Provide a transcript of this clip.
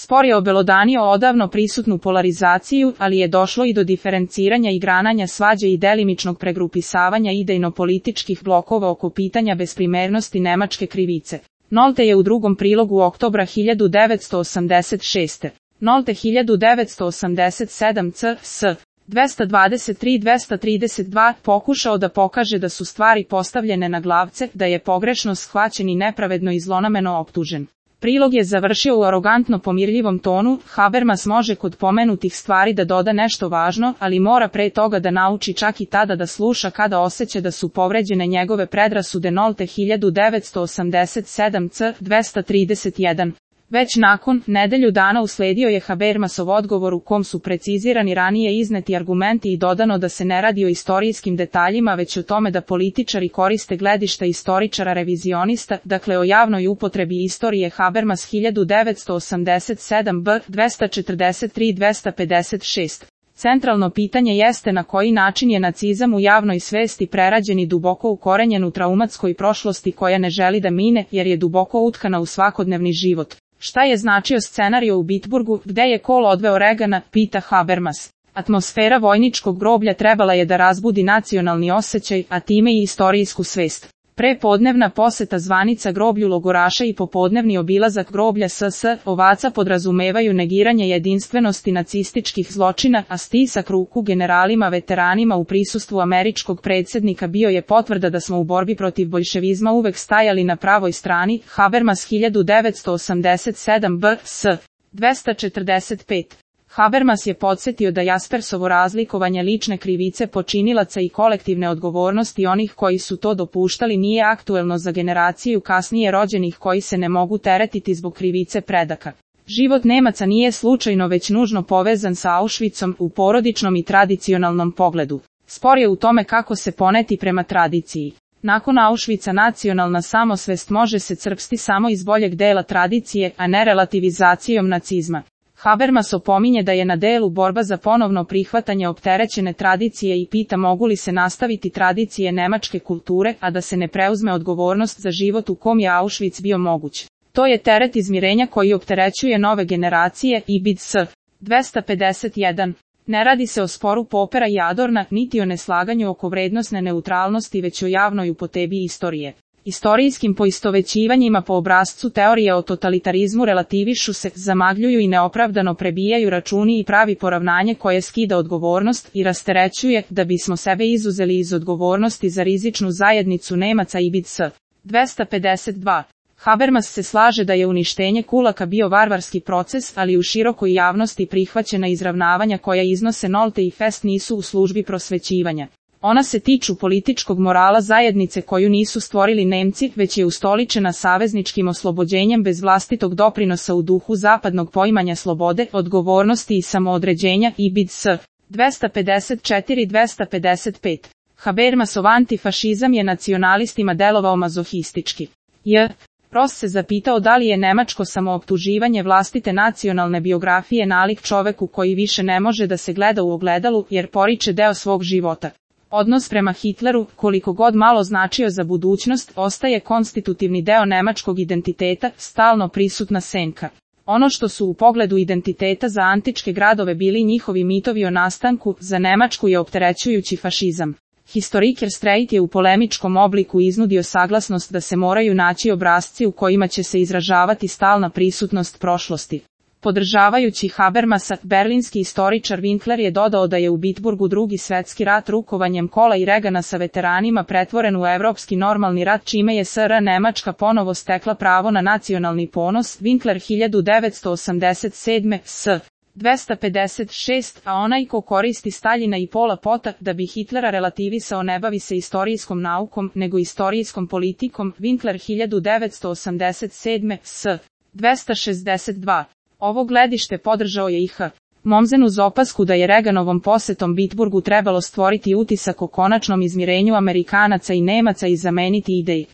Spor je obelodanio odavno prisutnu polarizaciju, ali je došlo i do diferenciranja i grananja svađe i delimičnog pregrupisavanja idejno-političkih blokova oko pitanja besprimernosti nemačke krivice. Nolte je u drugom prilogu oktobra 1986. Nolte 1987 c.s. 223-232 pokušao da pokaže da su stvari postavljene na glavce, da je pogrešno shvaćen i nepravedno i zlonameno optužen. Prilog je završio u arogantno pomirljivom tonu. Habermas može kod pomenutih stvari da doda nešto važno, ali mora pre toga da nauči čak i tada da sluša kada osjeća da su povređene njegove predrasude. Nolte 1987 c. 231. Već nakon nedelju dana usledio je Habermasov odgovor u kom su precizirani ranije izneti argumenti i dodano da se ne radi o istorijskim detaljima već o tome da političari koriste gledišta istoričara revizionista, dakle o javnoj upotrebi istorije. Habermas 1987 b. 243-256. Centralno pitanje jeste na koji način je nacizam u javnoj svesti prerađen i duboko ukorenjen u traumatskoj prošlosti koja ne želi da mine jer je duboko utkana u svakodnevni život. Šta je značio scenario u Bitburgu, gde je Kohl odveo Reagana, pita Habermas. Atmosfera vojničkog groblja trebala je da razbudi nacionalni osjećaj, a time i istorijsku svest. Prepodnevna poseta zvanica groblju logoraša i popodnevni obilazak groblja SS ovaca podrazumevaju negiranje jedinstvenosti nacističkih zločina, a stisak ruku generalima veteranima u prisustvu američkog predsjednika bio je potvrda da smo u borbi protiv boljševizma uvek stajali na pravoj strani. Habermas 1987 b.s. 245. Habermas je podsjetio da Jaspersovo razlikovanje lične krivice počinilaca i kolektivne odgovornosti onih koji su to dopuštali nije aktuelno za generaciju kasnije rođenih koji se ne mogu teretiti zbog krivice predaka. Život Nemaca nije slučajno već nužno povezan sa Auschwitzom u porodičnom i tradicionalnom pogledu. Spor je u tome kako se poneti prema tradiciji. Nakon Auschwitza nacionalna samosvest može se crpsti samo iz boljeg dela tradicije, a ne relativizacijom nacizma. Habermas opominje da je na delu borba za ponovno prihvatanje opterećene tradicije i pita mogu li se nastaviti tradicije nemačke kulture, a da se ne preuzme odgovornost za život u kom je Auschwitz bio moguć. To je teret izmirenja koji opterećuje nove generacije. Ibid.s. 251. Ne radi se o sporu Popera i Adorna, niti o neslaganju oko vrednosne neutralnosti već o javnoj upotrebi istorije. Istorijskim poistovećivanjima po obrascu teorije o totalitarizmu relativišu se, zamagljuju i neopravdano prebijaju računi i pravi poravnanje koje skida odgovornost i rasterećuje, da bismo sebe izuzeli iz odgovornosti za rizičnu zajednicu Nemaca. Ibid.s. 252. Habermas se slaže da je uništenje kulaka bio varvarski proces, ali u širokoj javnosti prihvaćena izravnavanja koja iznose Nolte i Fest nisu u službi prosvećivanja. Ona se tiču političkog morala zajednice koju nisu stvorili Nemci, već je ustoličena savezničkim oslobođenjem bez vlastitog doprinosa u duhu zapadnog poimanja slobode, odgovornosti i samoodređenja. Ibid.s. 254-255. Habermasov antifašizam je nacionalistima delovao mazohistički. Prost se zapitao da li je nemačko samooptuživanje vlastite nacionalne biografije nalik čoveku koji više ne može da se gleda u ogledalu jer poriče deo svog života. Odnos prema Hitleru, koliko god malo značio za budućnost, ostaje konstitutivni deo nemačkog identiteta, stalno prisutna senka. Ono što su u pogledu identiteta za antičke gradove bili njihovi mitovi o nastanku, za Nemačku je opterećujući fašizam. Historiker Streit je u polemičkom obliku iznudio saglasnost da se moraju naći obrasci u kojima će se izražavati stalna prisutnost prošlosti. Podržavajući Habermasa, berlinski istoričar Winkler je dodao da je u Bitburgu Drugi svjetski rat rukovanjem Kohla i Reagana sa veteranima pretvoren u evropski normalni rat čime je SR Nemačka ponovo stekla pravo na nacionalni ponos. Winkler 1987. s. 256, a onaj ko koristi Staljina i Pola Pota da bi Hitlera relativisao ne bavi se istorijskom naukom, nego istorijskom politikom. Winkler 1987. s. 262. Ovo gledište podržao je i H. Mommsen uz opasku da je Reaganovom posetom Bitburgu trebalo stvoriti utisak o konačnom izmirenju Amerikanaca i Nemaca i zameniti ideji